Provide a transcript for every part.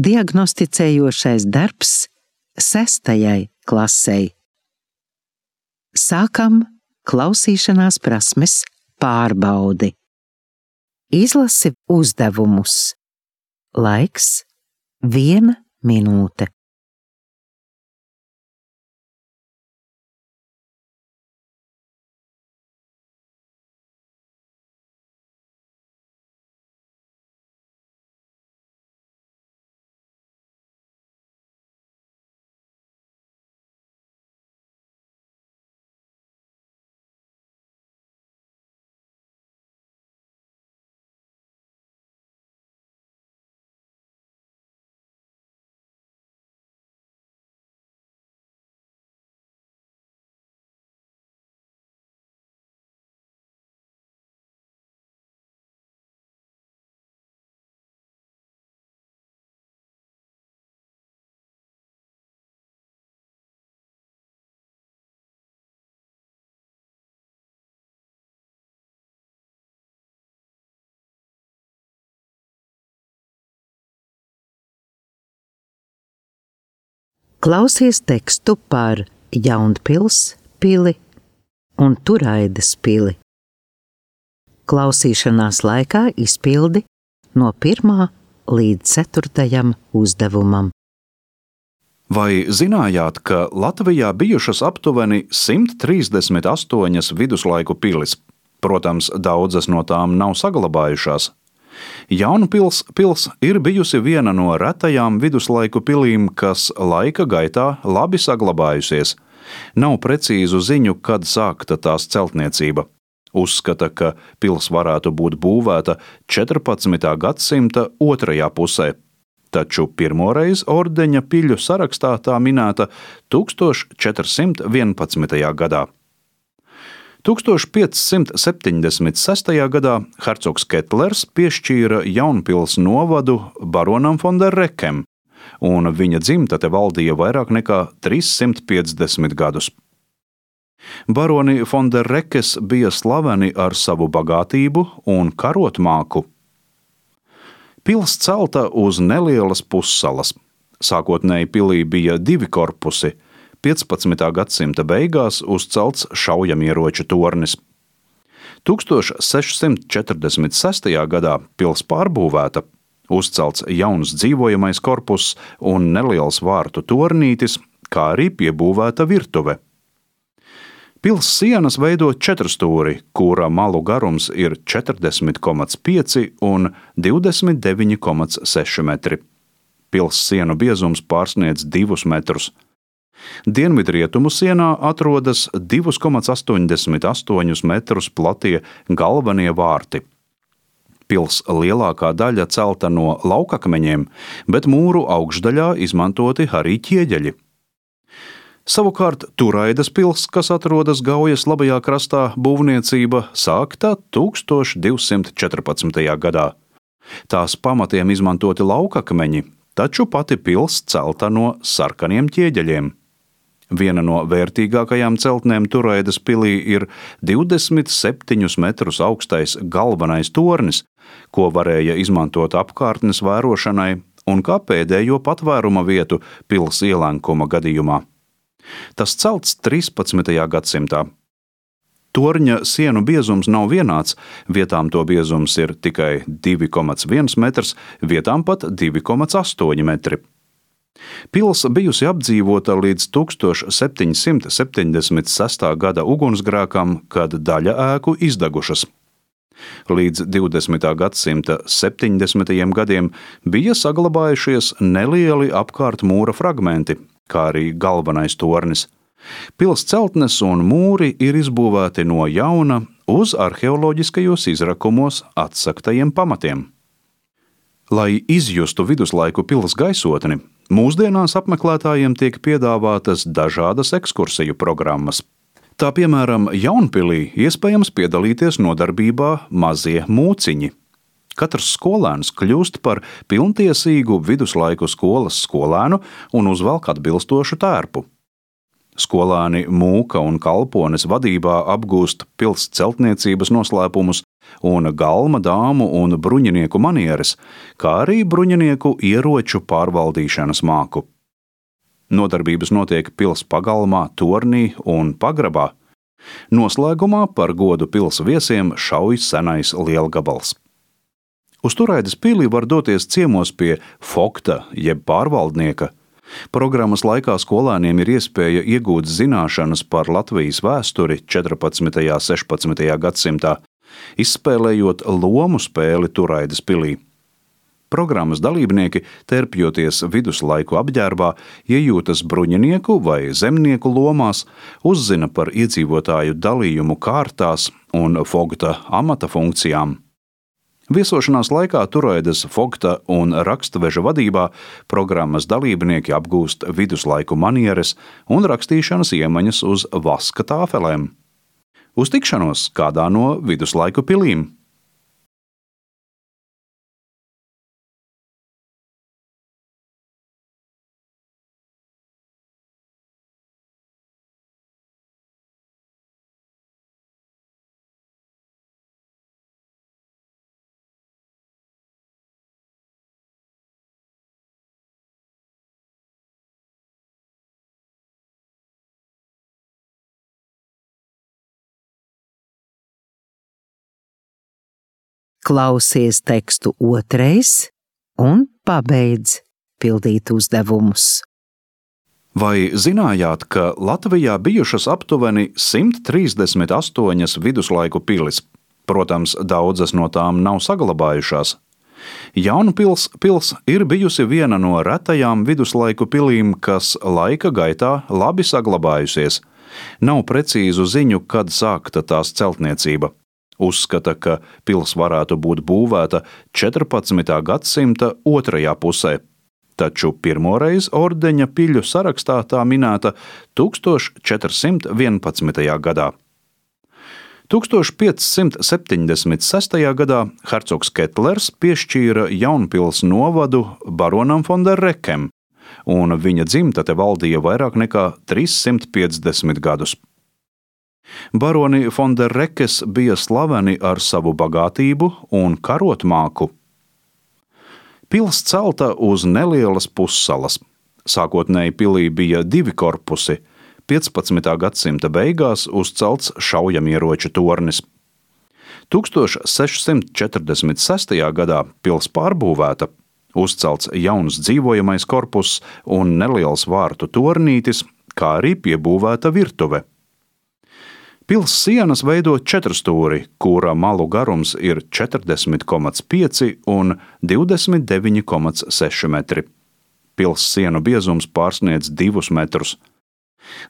Diagnosticējošais darbs 6. klasei. Sākam klausīšanās prasmes pārbaudi. Izlasi uzdevumus. Laiks 1 minūte. Klausies tekstu par Jaunpils pili un Turaidas pili. Klausīšanās laikā izpildi no 1. līdz 4. uzdevumam. Vai zinājāt, ka Latvijā bijušas aptuveni 138 viduslaiku pilis? Protams, daudzas no tām nav saglabājušās. Jaunpils pils ir bijusi viena no retajām viduslaiku pilīm, kas laika gaitā labi saglabājusies. Nav precīzu ziņu, kad sākta tās celtniecība. Uzskata, ka pils varētu būt būvēta 14. gadsimta otrajā pusē, taču pirmoreiz ordeņa piļu sarakstā tā minēta 1411. gadā. 1576. gadā hercogs Ketlers piešķīra Jaunpils novadu baronam von der Rekem, un viņa dzimtate valdīja vairāk nekā 350 gadus. Baroni von der Rekes bija slaveni ar savu bagātību un karotmāku. Pils celta uz nelielas pussalas. Sākotnēji pilī bija 2 korpusi. 15. gadsimta beigās uzcelts šaujamieroču tornis. 1646. gadā pils pārbūvēta, uzcelts jauns dzīvojamais korpuss un neliels vārtu tornītis, kā arī piebūvēta virtuve. Pils sienas veido 4 stūri, kura malu garums ir 40,5 un 29,6 metri. Pils sienu biezums pārsniedz 2 metrus. Dienvidrietumu sienā atrodas 2,88 metrus platie galvenie vārti. Pils lielākā daļa celta no laukakmeņiem, bet mūru augšdaļā izmantoti arī ķieģeļi. Savukārt Turaidas pils, kas atrodas Gaujas labajā krastā, būvniecība sākta 1214. gadā. Tās pamatiem izmantoti laukakmeņi, taču pati pils celta no sarkaniem ķieģeļiem. Viena no vērtīgākajām celtnēm Turaidas pilī ir 27 metrus augstais galvenais tornis, ko varēja izmantot apkārtnes vērošanai un kā pēdējo patvēruma vietu pils ielenkuma gadījumā. Tas celts 13. gadsimtā. Torņa sienu biezums nav vienāds, vietām to biezums ir tikai 2,1 metrs, vietām pat 2,8 metri. Pils bijusi apdzīvota līdz 1776. gada ugunsgrēkam, kad daļa ēku izdegušas. Līdz 20. gadsimta 70. gadiem bija saglabājušies nelieli apkārt mūra fragmenti, kā arī galvenais tornis. Pils celtnes un mūri ir izbūvēti no jauna uz arheoloģiskajos izrakumos atsaktajiem pamatiem. Lai izjustu viduslaiku pils gaisotni, mūsdienās apmeklētājiem tiek piedāvātas dažādas ekskursiju programmas. Tā piemēram, Jaunpilī iespējams piedalīties nodarbībā mazie mūciņi. Katrs skolēns kļūst par pilntiesīgu viduslaiku skolas skolēnu un uzvelk atbilstošu tērpu. Skolēni Mūka un Kalpones vadībā apgūst pils celtniecības noslēpumus un galma, dāmu un bruņinieku manieres, kā arī bruņinieku ieroču pārvaldīšanas māku. Nodarbības notiek pils pagalmā, tornī un pagrabā. Noslēgumā par godu pils viesiem šauj senais lielgabals. Uz Turaidas pili var doties ciemos pie fokta jeb pārvaldnieka. Programmas laikā skolēniem ir iespēja iegūt zināšanas par Latvijas vēsturi 14. un 16. gadsimtā, izspēlējot lomu spēli Turaidas pilī. Programmas dalībnieki, terpjoties viduslaiku apģērbā, iejūtas bruņinieku vai zemnieku lomās, uzzina par iedzīvotāju dalījumu kārtās un fogta amata funkcijām. Viesošanās laikā Turaidas fogta un rakstveža vadībā programmas dalībnieki apgūst viduslaiku manieres un rakstīšanas iemaņas uz vaska tāfelēm. Uz tikšanos kādā no viduslaiku pilīm! Klausies tekstu otrais un pabeidz pildīt uzdevumus. Vai zinājāt, ka Latvijā bijušas aptuveni 138 viduslaiku pilis? Protams, daudzas no tām nav saglabājušās. Jaunpils pils ir bijusi viena no retajām viduslaiku pilīm, kas laika gaitā labi saglabājusies. Nav precīzu ziņu, kad sākta tās celtniecība. Uzskata, ka pils varētu būt būvēta 14. gadsimta otrajā pusē, taču pirmoreiz ordeņa piļu sarakstā tā minēta 1411. gadā. 1576. gadā hercogs Ketlers piešķīra Jaunpils novadu baronam von der Rekem, un viņa dzimtate valdīja vairāk nekā 350 gadus. Baroni von der Rekes bija slaveni ar savu bagātību un karotmāku. Pils celta uz nelielas pussalas. Sākotnēji pilī bija 2 korpusi, 15. gadsimta beigās uzcelts šaujamieroču tornis. 1646. gadā pils pārbūvēta, uzcelts jauns dzīvojamais korpuss un neliels vārtu tornītis, kā arī piebūvēta virtuve. Pils sienas veido 4-stūri, kura malu garums ir 40,5 un 29,6 metri. Pils sienu biezums pārsniedz 2 metrus.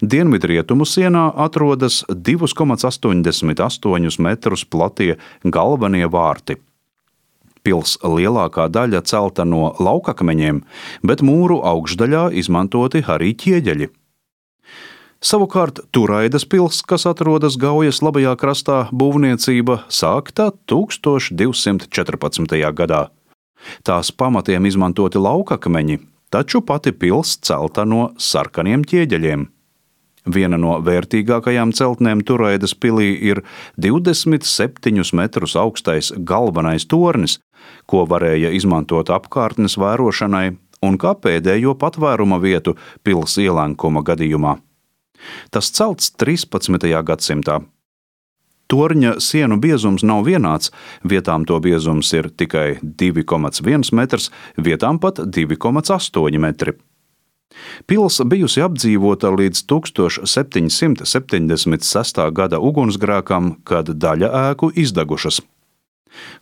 Dienvidrietumu sienā atrodas 2,88 metrus platie galvenie vārti. Pils lielākā daļa celta no laukakmeņiem, bet mūru augšdaļā izmantoti arī ķieģeļi. Savukārt Turaidas pils, kas atrodas Gaujas labajā krastā, būvniecība sākta 1214. gadā. Tās pamatiem izmantoti laukakmeņi, taču pati pils celta no sarkaniem ķieģeļiem. Viena no vērtīgākajām celtnēm Turaidas pilī ir 27 metrus augstais galvenais tornis, ko varēja izmantot apkārtnes vērošanai un kā pēdējo patvēruma vietu pils ielenkuma gadījumā. Tas celts 13. gadsimtā. Torņa sienu biezums nav vienāds, vietām to biezums ir tikai 2,1 metrs, vietām pat 2,8 metri. Pils bijusi apdzīvota līdz 1776. gada ugunsgrēkam, kad daļa ēku izdegušas.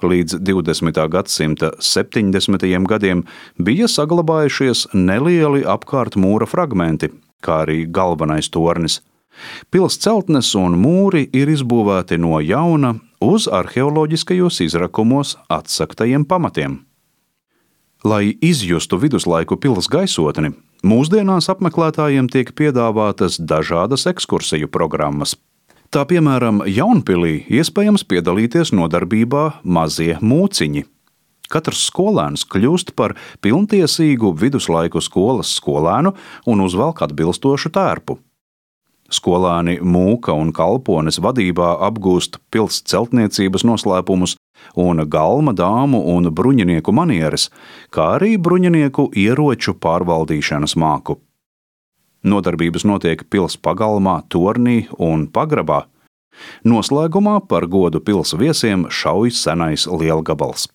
Līdz 20. gadsimta 70. gadiem bija saglabājušies nelieli apkārt mūra fragmenti, kā arī galvenais tornis. Pils celtnes un mūri ir izbūvēti no jauna uz arheoloģiskajos izrakumos atsaktajiem pamatiem. Lai izjustu viduslaiku pils gaisotni, mūsdienās apmeklētājiem tiek piedāvātas dažādas ekskursiju programmas. Tā piemēram, Jaunpilī iespējams piedalīties nodarbībā mazie mūciņi. Katrs skolēns kļūst par pilntiesīgu viduslaiku skolas skolēnu un uzvelk atbilstošu tērpu. Skolēni Mūka un Kalpones vadībā apgūst pils celtniecības noslēpumus un galma dāmu un bruņinieku manieres, kā arī bruņinieku ieroču pārvaldīšanas māku. Nodarbības notiek pils pagalmā, tornī un pagrabā. Noslēgumā par godu pils viesiem šauj senais lielgabals.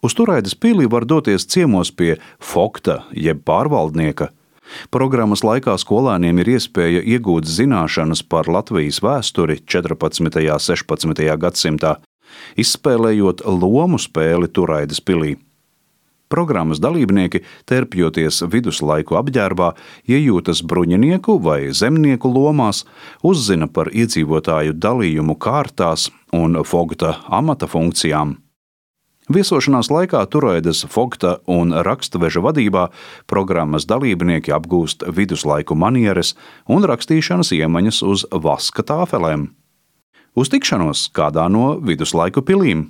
Uz Turaidas pili var doties ciemos pie fogta jeb pārvaldnieka. Programmas laikā skolēniem ir iespēja iegūt zināšanas par Latvijas vēsturi 14. un 16. gadsimtā, izspēlējot lomu spēli Turaidas pilī. Programmas dalībnieki, terpjoties viduslaiku apģērbā, iejūtas bruņinieku vai zemnieku lomās, uzzina par iedzīvotāju dalījumu kārtās un fogta amata funkcijām. Viesošanās laikā Turaidas fogta un rakstveža vadībā programmas dalībnieki apgūst viduslaiku manieres un rakstīšanas iemaņas uz vaska tāfelēm. Uz tikšanos kādā no viduslaiku pilīm!